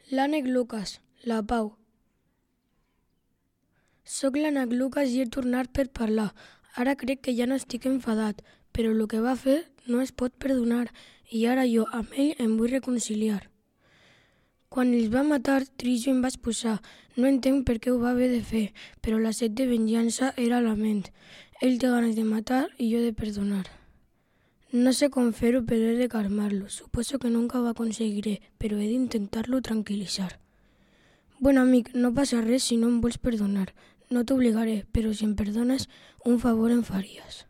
L'ànec Lucas, la Pau. Soc l'ànec Lucas i he tornat per parlar. Ara crec que ja no estic enfadat, però el que va fer no es pot perdonar i ara jo amb ell em vull reconciliar. Quan els va matar, trist jo em vaig posar. No entenc per què ho va haver de fer, però la set de venjança era a la ment. Ell té ganes de matar i jo de perdonar. No sé com fer-ho, però he de calmar-lo. Suposo que nunca ho aconseguiré, però he d'intentar-lo tranquil·litzar. Bon amic, no passa res si no em vols perdonar. No t'obligaré, però si em perdones, un favor em faries.